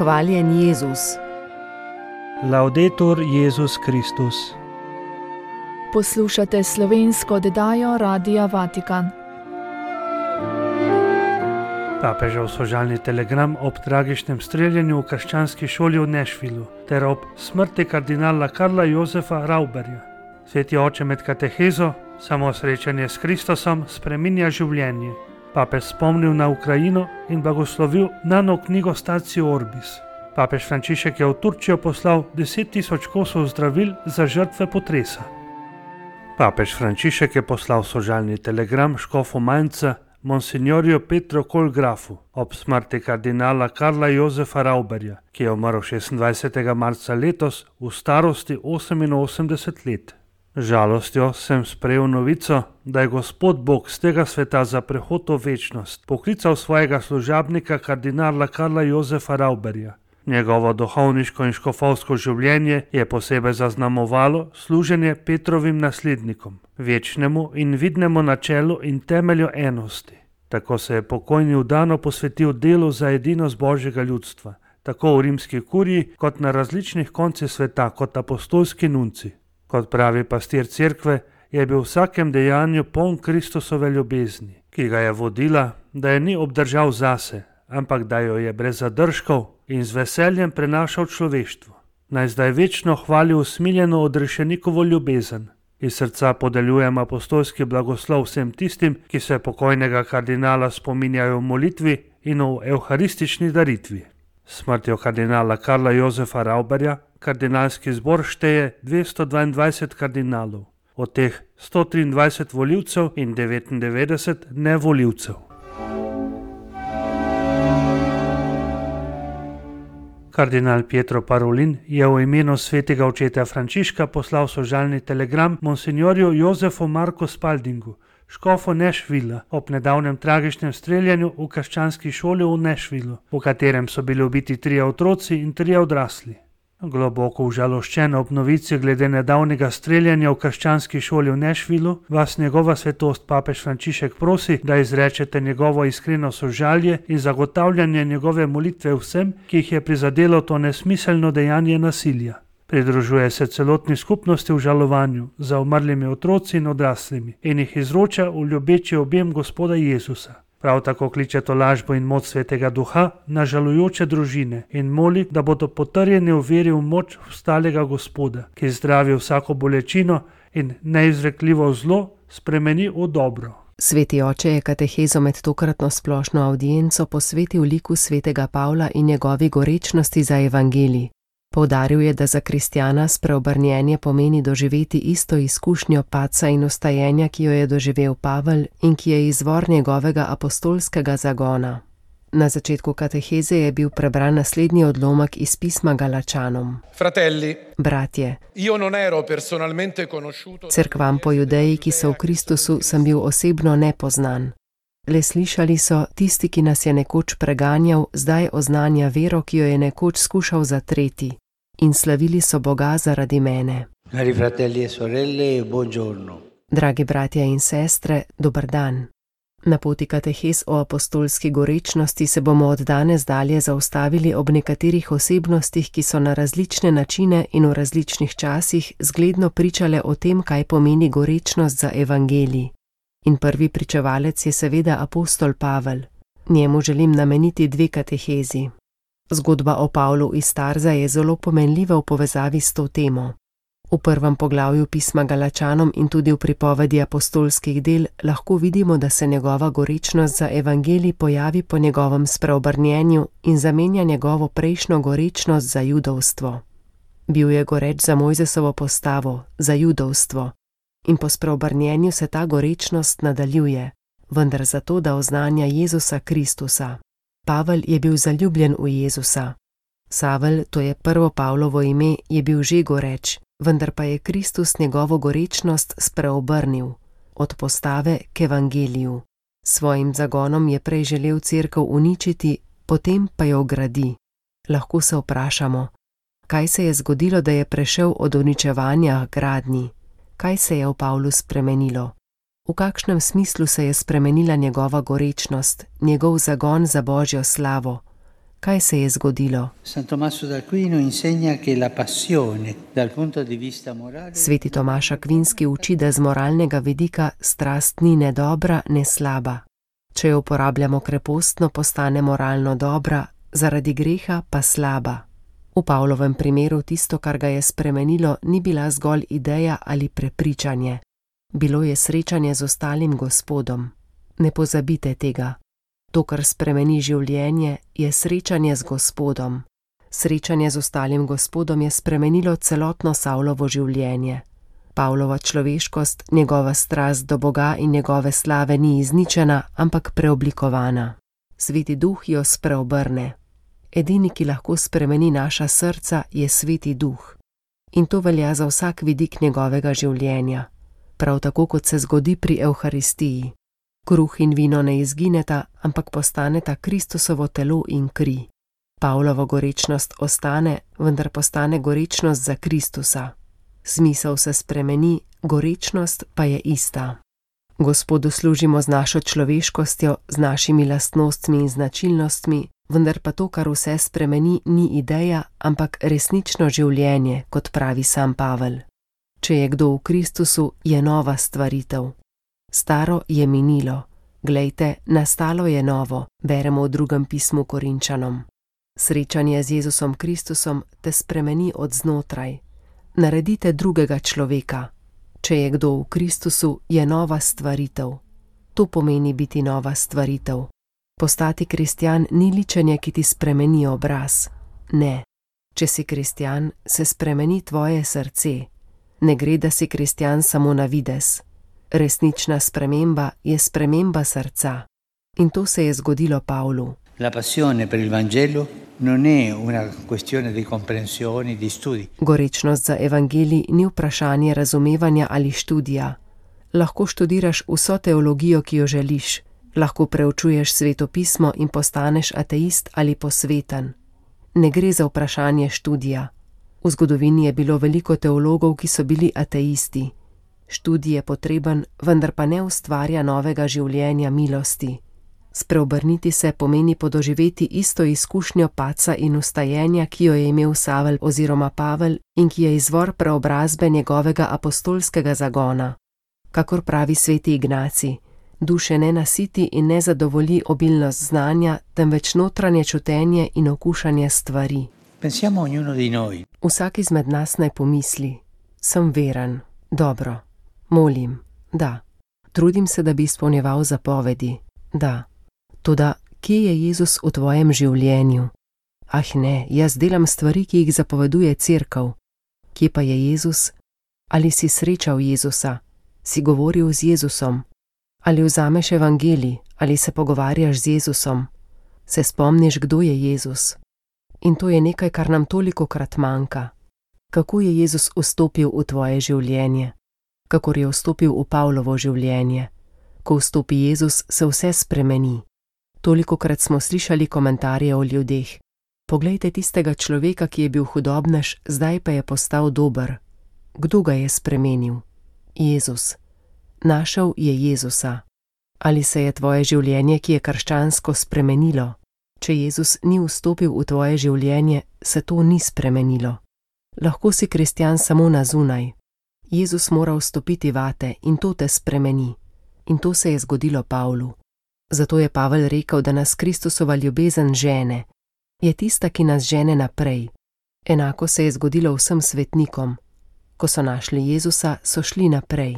Hvaljen Jezus. Laudetur Jezus Kristus. Poslušate slovensko oddajo Radia Vatikan. Papežev sožalni telegram ob tragičnem streljanju v krščanski šoli v Nashvillu ter ob smrti kardinala Karla Josefa Rauberja. Sveti oče med katehezo, samo srečanje s Kristusom spreminja življenje. Papež spomnil na Ukrajino in blagoslovil nano knjigo Statio Orbis. Papež Frančišek je v Turčijo poslal 10.000 kosov zdravil za žrtve potresa. Papež Frančišek je poslal sožalni telegram škofu Mainza Monsignorju Petru Kolgrafu ob smrti kardinala Karla Josefa Rauberja, ki je umrl 26. marca letos v starosti 88 let. Žalostjo sem sprejel novico, da je Gospod Bog z tega sveta za prehod v večnost poklical svojega služabnika kardinala Karla Josefa Rauberja. Njegovo duhovniško in škofovsko življenje je posebej zaznamovalo služenje Petrovim naslednikom, večnemu in vidnemu načelu in temelju enosti. Tako se je pokojni vdano posvetil delu za edinost Božjega ljudstva, tako v rimski kuriji kot na različnih koncih sveta kot apostolski nunci. Kot pravi pastir cerkve, je bil v vsakem dejanju poln Kristusove ljubezni, ki ga je vodila, da je ni obdržal zase, ampak da jo je brez zadržkov in z veseljem prenašal človeštvu. Naj zdaj večno hvali usmiljeno odrešenikovo ljubezen. Iz srca podeljujem apostolski blagoslov vsem tistim, ki se pokojnega kardinala spominjajo v molitvi in v evharistični daritvi. Smrtjo kardinala Karla Josefa Rauberja kardinalski zbor šteje 222 kardinalov, od teh 123 volivcev in 99 nevolivcev. Kardinal Pietro Parolin je v imenu svetega očeta Frančiška poslal sožalni telegram monsignorju Josefu Marku Spaldingu, škofu Nashvilla, ob nedavnem tragičnem streljanju v krščanski šoli v Nashvillu, v katerem so bili ubiti 3 otroci in 3 odrasli. Globoko užaloščen ob novici glede nedavnega streljanja v krščanski šoli v Nashvillu, vas njegova svetost papež Frančišek prosi, da izrečete njegovo iskreno sožalje in zagotavljanje njegove molitve vsem, ki jih je prizadelo to nesmiselno dejanje nasilja. Pridružuje se celotni skupnosti v žalovanju za umrlimi otroci in odraslimi in jih izroča v ljubeči objem Gospoda Jezusa. Prav tako kliče tolažbo in moč Svetega Duha na žalujoče družine in moli, da bodo potrjeni v veri v moč vstalega Gospoda, ki zdravi vsako bolečino in neizrekljivo zlo spremeni v dobro. Sveti oče je katehezo med tokratno splošno avdienco posvetil liku svetega Pavla in njegovi gorečnosti za evangelij. Poudaril je, da za kristjana spreobrnjenje pomeni doživeti isto izkušnjo padca in vstajenja, ki jo je doživel Pavel in ki je izvor njegovega apostolskega zagona. Na začetku kateheze je bil prebran naslednji odlomek iz pisma Galačanom. Fratelli, bratje, io non ero personalmente conosciuto. Cerkvam po Judeji, ki so v Kristusu, sem bil osebno nepoznan. Le slišali so, tisti, ki nas je nekoč preganjal, zdaj oznanja vero, ki jo je nekoč skušal zatreti. In slavili so Boga zaradi mene. Cari fratelli e sorelle, buongiorno. Dragi bratje in sestre, dober dan. Na poti katehez o apostolski gorečnosti se bomo od danes dalje zaustavili ob nekaterih osebnostih, ki so na različne načine in v različnih časih zgledno pričale o tem, kaj pomeni gorečnost za evangelij. In prvi pričevalec je seveda apostol Pavel. Njemu želim nameniti 2 katehezi. Zgodba o Pavlu iz Tarza je zelo pomenljiva v povezavi s to temo. V prvem poglavju pisma Galačanom in tudi v pripovedi apostolskih del lahko vidimo, da se njegova gorečnost za evangelij pojavi po njegovem spreobrnjenju in zamenja njegovo prejšnjo gorečnost za judovstvo. Bil je goreč za Mojzesovo postavo, za judovstvo. In po spreobrnjenju se ta gorečnost nadaljuje, vendar zato, da oznanja Jezusa Kristusa. Pavel je bil zaljubljen v Jezusa. Savel, to je prvo Pavlovo ime, je bil že goreč, vendar pa je Kristus njegovo gorečnost spreobrnil, od postave k evangeliju. Svojim zagonom je prej želel cerkev uničiti, potem pa jo gradi. Lahko se vprašamo, kaj se je zgodilo, da je prešel od uničevanja k gradnji? Kaj se je v Pavlu spremenilo? V kakšnem smislu se je spremenila njegova gorečnost, njegov zagon za Božjo slavo? Kaj se je zgodilo? San Tommaso d'Aquino insegna che la passione dal punto di vista morale. Sveti Tomaž Akvinski uči, da z moralnega vidika strast ni ne dobra, ne slaba. Če jo uporabljamo krepostno, postane moralno dobra, zaradi greha pa slaba. V Pavlovem primeru tisto, kar ga je spremenilo, ni bila zgolj ideja ali prepričanje. Bilo je srečanje z ostalim Gospodom. Ne pozabite tega. To, kar spremeni življenje, je srečanje z Gospodom. Srečanje z ostalim Gospodom je spremenilo celotno Savlovo življenje. Pavlova človeškost, njegova strast do Boga in njegove slave ni izničena, ampak preoblikovana. Sveti Duh jo spreobrne. Edini, ki lahko spremeni naša srca, je Sveti Duh. In to velja za vsak vidik njegovega življenja. Prav tako, kot se zgodi pri Evharistiji. Kruh in vino ne izgineta, ampak postaneta Kristusovo telo in kri. Pavlova gorečnost ostane, vendar postane gorečnost za Kristusa. Smisel se spremeni, gorečnost pa je ista. Gospodu služimo z našo človeškostjo, z našimi lastnostmi in značilnostmi, vendar pa to, kar vse spremeni, ni ideja, ampak resnično življenje, kot pravi sam Pavel. Če je kdo v Kristusu, je nova stvaritev. Staro je minilo. Glejte, nastalo je novo, beremo v 2. pismu Korinčanom. Srečanje z Jezusom Kristusom te spremeni od znotraj. Naredite drugega človeka. Če je kdo v Kristusu, je nova stvaritev. To pomeni biti nova stvaritev. Postati kristjan ni ličenje, ki ti spremeni obraz. Ne. Če si kristjan, se spremeni tvoje srce. Ne gre, da si kristjan samo na videz. Resnična sprememba je sprememba srca. In to se je zgodilo Pavlu. La passione per il Vangelo non è una questione di comprensione, di studi. Gorečnost za evangelij ni vprašanje razumevanja ali študija. Lahko študiraš vso teologijo, ki jo želiš. Lahko preučuješ Sveto pismo in postaneš ateist ali posveten. Ne gre za vprašanje študija. V zgodovini je bilo veliko teologov, ki so bili ateisti. Študij je potreben, vendar pa ne ustvarja novega življenja milosti. Spreobrniti se pomeni podoživeti isto izkušnjo padca in ustajenja, ki jo je imel Savel oziroma Pavel in ki je izvor preobrazbe njegovega apostolskega zagona. Kakor pravi sveti Ignacij, duše ne nasiti in ne zadovolji obilnost znanja, temveč notranje čutenje in okušanje stvari. Pensiamo ognuno di noi. Vsak izmed nas naj pomisli, sem veren, dobro, molim, da, trudim se, da bi izpolnjeval zapovedi, da. Toda, kje je Jezus v tvojem življenju? Ah ne, jaz delam stvari, ki jih zapoveduje Cerkev. Kje pa je Jezus? Ali si srečal Jezusa? Si govoril z Jezusom? Ali vzameš evangelij? Ali se pogovarjaš z Jezusom? Se spomniš, kdo je Jezus? In to je nekaj, kar nam tolikokrat manjka. Kako je Jezus vstopil v tvoje življenje? Kakor je vstopil v Pavlovo življenje? Ko vstopi Jezus, se vse spremeni. Tolikokrat smo slišali komentarje o ljudeh. Poglejte tistega človeka, ki je bil hudobnež, zdaj pa je postal dober. Kdo ga je spremenil? Jezus. Našel je Jezusa. Ali se je tvoje življenje, ki je krščansko, spremenilo? Če Jezus ni vstopil v tvoje življenje, se to ni spremenilo. Lahko si kristjan samo na zunaj. Jezus mora vstopiti vate in to te spremeni. In to se je zgodilo Pavlu. Zato je Pavel rekel, da nas Kristusova ljubezen žene. Je tista, ki nas žene naprej. Enako se je zgodilo vsem svetnikom. Ko so našli Jezusa, so šli naprej.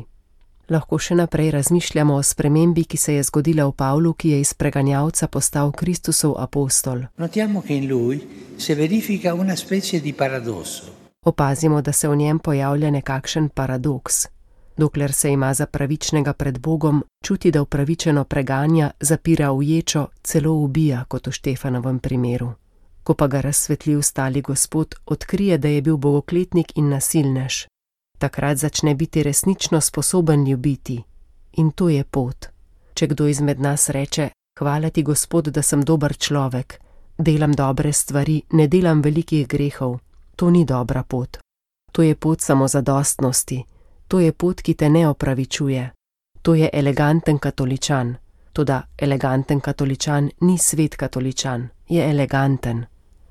Lahko še naprej razmišljamo o spremembi, ki se je zgodila v Pavlu, ki je iz preganjalca postal Kristusov apostol. Notiamo che in lui si verifica una specie di paradosso. Opazimo, da se v njem pojavlja nekakšen paradoks. Dokler se ima za pravičnega pred Bogom, čuti, da upravičeno preganja, zapira v ječo, celo ubija, kot v Štefanovem primeru. Ko pa ga razsvetli ustali Gospod, odkrije, da je bil bogokletnik in nasilnež. Takrat začne biti resnično sposoben ljubiti. In to je pot. Če kdo izmed nas reče, hvala ti Gospod, da sem dober človek, delam dobre stvari, ne delam velikih grehov, to ni dobra pot. To je pot samozadostnosti. To je pot, ki te ne opravičuje. To je eleganten katoličan. Toda eleganten katoličan ni svet katoličan, je eleganten.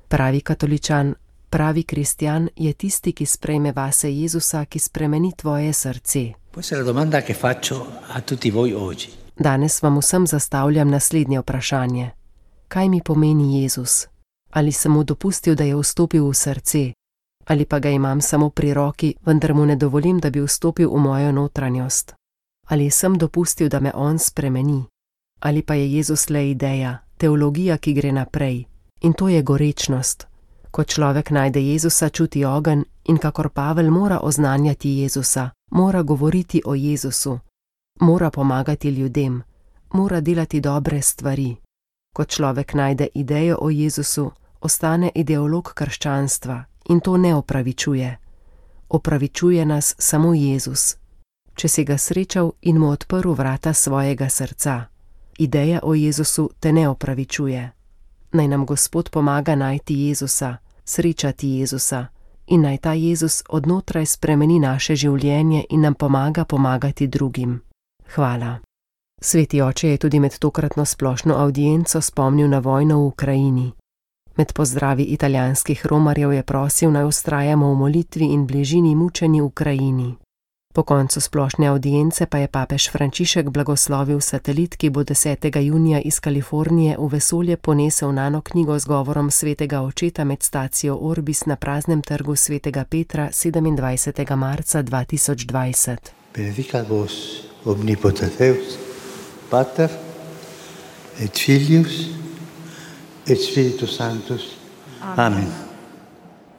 Pravi katoličan, pravi kristjan je tisti, ki sprejme vase Jezusa, ki spremeni tvoje srce. Questa è la domanda che faccio a tutti voi oggi. Danes vam vsem zastavljam naslednje vprašanje. Kaj mi pomeni Jezus? Ali sem mu dopustil, da je vstopil v srce? Ali pa ga imam samo pri roki, vendar mu ne dovolim, da bi vstopil v mojo notranjost? Ali sem dopustil, da me on spremeni? Ali pa je Jezus le ideja, teologija, ki gre naprej? In to je gorečnost. Ko človek najde Jezusa, čuti ogenj in kakor Pavel mora oznanjati Jezusa, mora govoriti o Jezusu, mora pomagati ljudem, mora delati dobre stvari. Ko človek najde idejo o Jezusu, ostane ideolog krščanstva in to ne opravičuje. Opravičuje nas samo Jezus. Če si ga srečal in mu odprl vrata svojega srca. Ideja o Jezusu te ne opravičuje. Naj nam Gospod pomaga najti Jezusa, srečati Jezusa in naj ta Jezus odnotraj spremeni naše življenje in nam pomaga pomagati drugim. Hvala. Sveti oče je tudi med tokratno splošno avdienco spomnil na vojno v Ukrajini. Med pozdravi italijanskih romarjev je prosil, naj vztrajamo v molitvi in bližini mučeni Ukrajini. Po koncu splošne avdience pa je papež Frančišek blagoslovil satelit, ki bo 10. junija iz Kalifornije v vesolje ponesel nano knjigo z govorom svetega očeta med stacijo Orbis na praznem trgu svetega Petra 27. marca 2020. Benedicat vos omnipotens Deus, Pater et Filius et Spiritus Sanctus. Amen.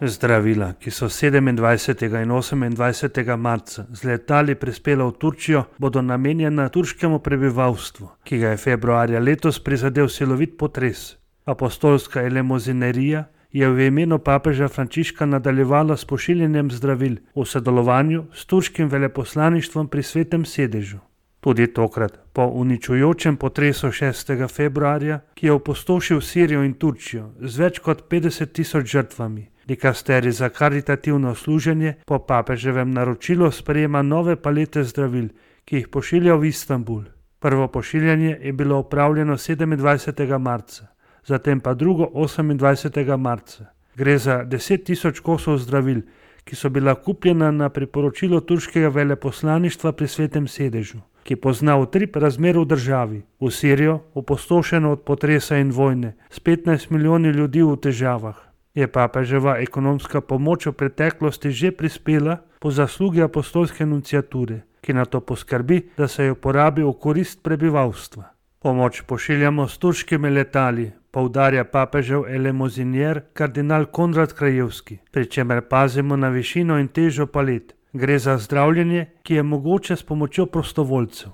Zdravila, ki so 27. in 28. marca z letali prispela v Turčijo, bodo namenjena turškemu prebivalstvu, ki ga je februarja letos prizadel silovit potres. Apostolska elemozinerija je v imenu papeža Frančiška nadaljevala s pošiljanjem zdravil v sodelovanju s turškim veleposlaništvom pri Svetem sedežu. Tudi tokrat, po uničujočem potresu 6. februarja, ki je opustošil Sirijo in Turčijo z več kot 50.000 žrtvami, dikasterij za karitativno služenje po papeževem naročilu sprejema nove palete zdravil, ki jih pošilja v Istanbul. Prvo pošiljanje je bilo opravljeno 27. marca, zatem pa drugo 28. marca. Gre za 10.000 kosov zdravil, ki so bila kupljena na priporočilo turškega veleposlaništva pri Svetem sedežu, ki pozna utrip razmer v državi, v Sirijo, opustošeno od potresa in vojne, s 15 milijoni ljudi v težavah. Je papeževa ekonomska pomoč v preteklosti že prispela po zaslugi apostolske nunciature, ki na to poskrbi, da se jo porabi v korist prebivalstva. Pomoč pošiljamo s turškimi letali, poudarja papežev elemozinier kardinal Konrad Krajevski, pri čemer pazimo na višino in težo palet. Gre za zdravljenje, ki je mogoče s pomočjo prostovoljcev.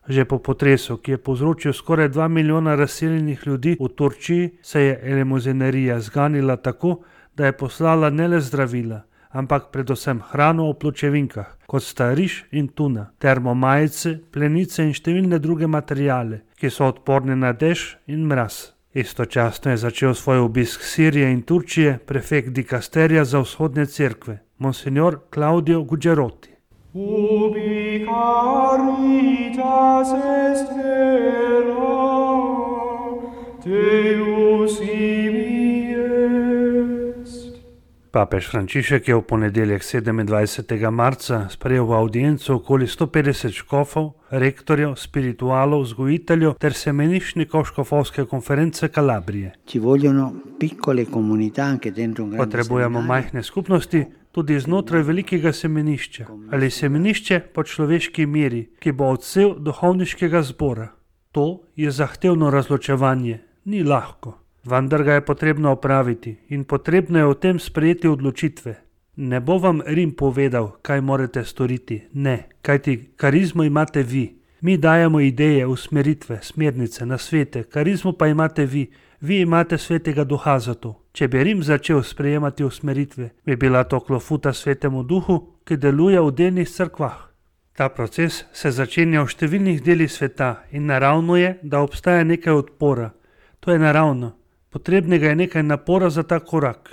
Že po potresu, ki je povzročil skoraj 2 milijona razseljenih ljudi v Turčiji, se je elemozinerija zganila tako, da je poslala ne le zdravila, ampak predvsem hrano v pločevinkah, kot sta riž in tuna, termomajice, plenice in številne druge materijale, ki so odporni na dež in mraz. Istočasno je začel svoj obisk Sirije in Turčije prefekt dikasterija za vzhodne cerkve, monsignor Claudio Gugerotti. Ubi caritas est vera, Deus ibi est. Papež Frančišek je v ponedeljek 27. marca sprejel v audienco okoli 150 škofov, rektorjev, spiritualov, vzgojiteljev ter semeniščnikov škofovske konference Kalabrije. Potrebujemo majhne skupnosti, tudi znotraj velikega semenišča, ali semenišče po človeški meri, ki bo odsev duhovniškega zbora. To je zahtevno razločevanje, ni lahko, vendar ga je potrebno opraviti in potrebno je o tem sprejeti odločitve. Ne bo vam Rim povedal, kaj morate storiti, ne, kajti karizmo imate vi. Mi dajemo ideje, usmeritve, smernice, nasvete, karizmo pa imate vi. Vi imate svetega duha za to. Če bi Rim začel sprejemati usmeritve, bi bila to klofuta svetemu duhu, ki deluje v delnih cerkvah. Ta proces se začenja v številnih delih sveta in naravno je, da obstaja nekaj odpora. To je naravno. Potrebnega je nekaj napora za ta korak.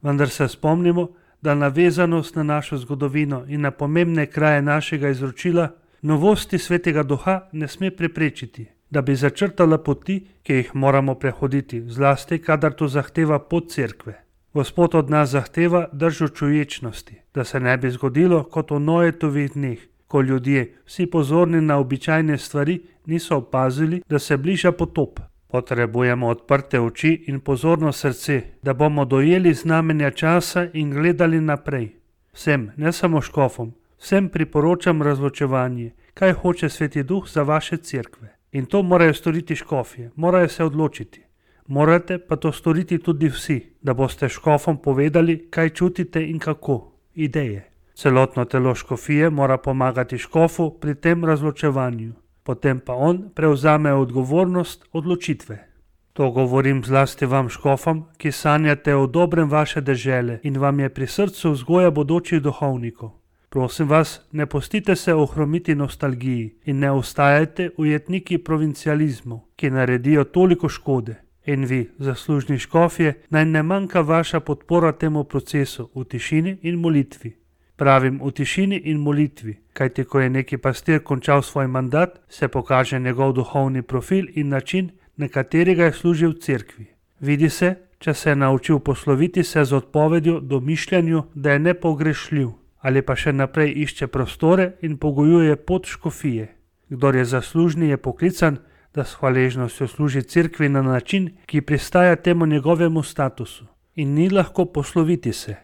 Vendar se spomnimo, da navezanost na našo zgodovino in na pomembne kraje našega izročila novosti svetega duha ne sme preprečiti. da bi začrtala poti, ki jih moramo prehoditi, zlasti kadar to zahteva pot cerkve. Gospod od nas zahteva držo čuječnosti, da se ne bi zgodilo kot v Noetovih dneh, ko ljudje, vsi pozorni na običajne stvari, niso opazili, da se bliža potop. Potrebujemo odprte oči in pozorno srce, da bomo dojeli znamenja časa in gledali naprej. Vsem, ne samo škofom, vsem priporočam razločevanje, kaj hoče Sveti Duh za vaše cerkve. In to morajo storiti škofje, morajo se odločiti. Morate pa to storiti tudi vsi, da boste škofom povedali, kaj čutite in kako, ideje. Celotno telo škofije mora pomagati škofu pri tem razločevanju, potem pa on prevzame odgovornost odločitve. To govorim zlasti vam škofom, ki sanjate o dobrem vaše dežele in vam je pri srcu vzgoja bodočih duhovnikov. Prosim vas, ne pustite se ohromiti nostalgiji in ne ostajajte ujetniki provincializmov, ki naredijo toliko škode. In vi, zaslužni škofje, naj ne manjka vaša podpora temu procesu v tišini in molitvi. Pravim v tišini in molitvi, kajti ko je neki pastir končal svoj mandat, se pokaže njegov duhovni profil in način, na katerega je služil v cerkvi. Vidi se, če se je naučil posloviti se z odpovedjo domišljanju, da je nepogrešljiv, ali pa še naprej išče prostore in pogojuje pot škofije. Kdor je zaslužni, je poklican, da s hvaležnostjo služi cerkvi na način, ki pristaja temu njegovemu statusu. In ni lahko posloviti se.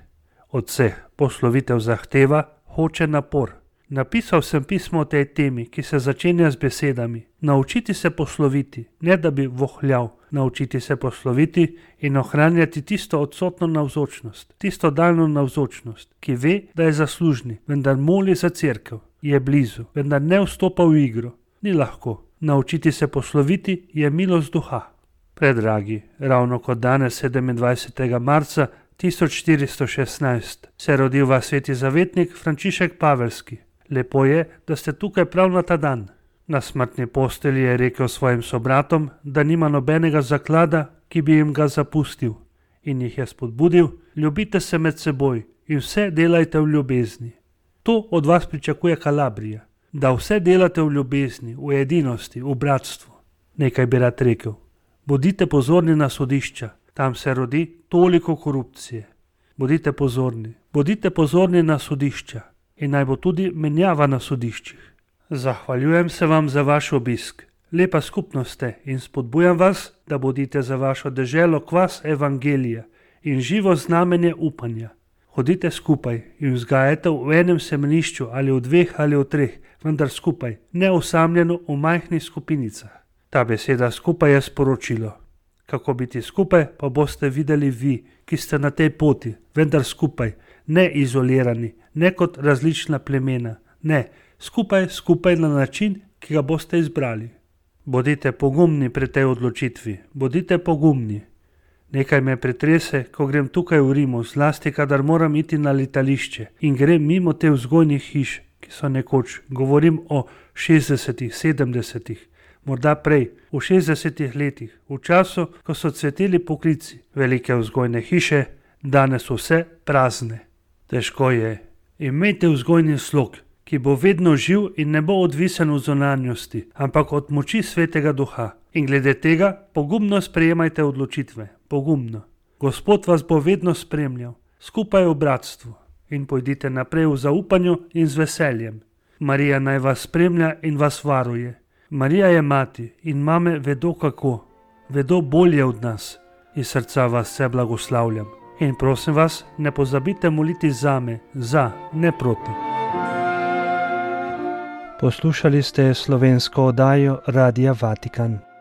Od vseh poslovitev zahteva, hoče napor. Napisal sem pismo o tej temi, ki se začenja z besedami: naučiti se posloviti, ne da bi vohljal, naučiti se posloviti in ohranjati tisto odsotno navzočnost, tisto daljno navzočnost, ki ve, da je zaslužni, vendar moli za cerkev, je blizu, vendar ne vstopa v igro. Ni lahko. Naučiti se posloviti je milost duha. Predragi, ravno kot danes 27. marca 1416 se je rodil vaš sveti zavetnik Frančišek Paveljski. Lepo je, da ste tukaj prav na ta dan. Na smrtni postelji je rekel svojim sobratom, da nima nobenega zaklada, ki bi jim ga zapustil, in jih je spodbudil: ljubite se med seboj in vse delajte v ljubezni. To od vas pričakuje Kalabrija, da vse delate v ljubezni, v edinosti, v bratstvu. Nekaj bi rad rekel. Bodite pozorni na sodišča, tam se rodi toliko korupcije. Bodite pozorni na sodišča in naj bo tudi menjava na sodiščih. Zahvaljujem se vam za vaš obisk. Lepa skupnost ste in spodbujam vas, da bodite za vašo deželo kvas evangelija in živo znamenje upanja. Hodite skupaj in vzgajajte v enem semenišču ali v dveh ali v treh, vendar skupaj, ne osamljeno v majhnih skupinicah. Ta beseda skupaj je sporočilo. Kako biti skupaj, pa boste videli vi, ki ste na tej poti, vendar skupaj, ne izolirani, ne kot različna plemena, ne, skupaj na način, ki ga boste izbrali. Bodite pogumni pri tej odločitvi, bodite pogumni. Nekaj me pretrese, ko grem tukaj v Rimu, zlasti kadar moram iti na letališče in grem mimo te vzgojnih hiš, ki so nekoč, govorim o 60-ih, 70-ih, morda prej, v 60-ih letih, v času, ko so cveteli poklici, velike vzgojne hiše, danes vse prazne. Težko je. Imejte vzgojni slog, ki bo vedno živ in ne bo odvisen od zunanjosti, ampak od moči Svetega Duha. In glede tega pogumno sprejemajte odločitve, pogumno. Gospod vas bo vedno spremljal, skupaj v bratstvu, in pojdite naprej v zaupanju in z veseljem. Marija naj vas spremlja in vas varuje. Marija je mati in mame vedo kako, vedo bolje od nas. Iz srca vas vse blagoslavljam. In prosim vas, ne pozabite moliti zame, za, ne proti. Poslušali ste slovensko oddajo Radia Vatikan.